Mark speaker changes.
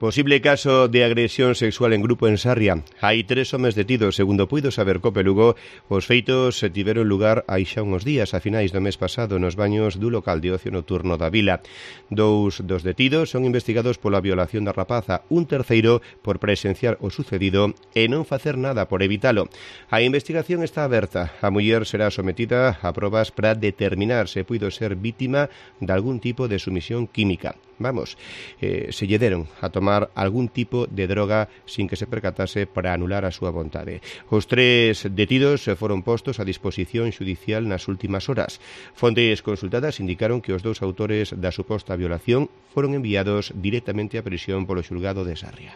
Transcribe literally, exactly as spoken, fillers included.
Speaker 1: Posible caso de agresión sexual en grupo en Sarria. Hai tres homes detidos, segundo puido saber Cope Lugo. Os feitos se tiveron lugar hai xa uns días, a finais do mes pasado, nos baños do local de ocio nocturno da vila. Dous dos detidos son investigados pola violación da rapaza, un terceiro por presenciar o sucedido e non facer nada por evitalo. A investigación está aberta. A muller será sometida a probas para determinar se puido ser vítima de algún tipo de sumisión química. Vamos, eh, se lle deron a tomar algún tipo de droga sin que se percatase para anular a súa vontade. Os tres detidos foron postos a disposición xudicial nas últimas horas. Fontes consultadas indicaron que os dous autores da suposta violación foron enviados directamente á prisión polo xulgado de Sarria.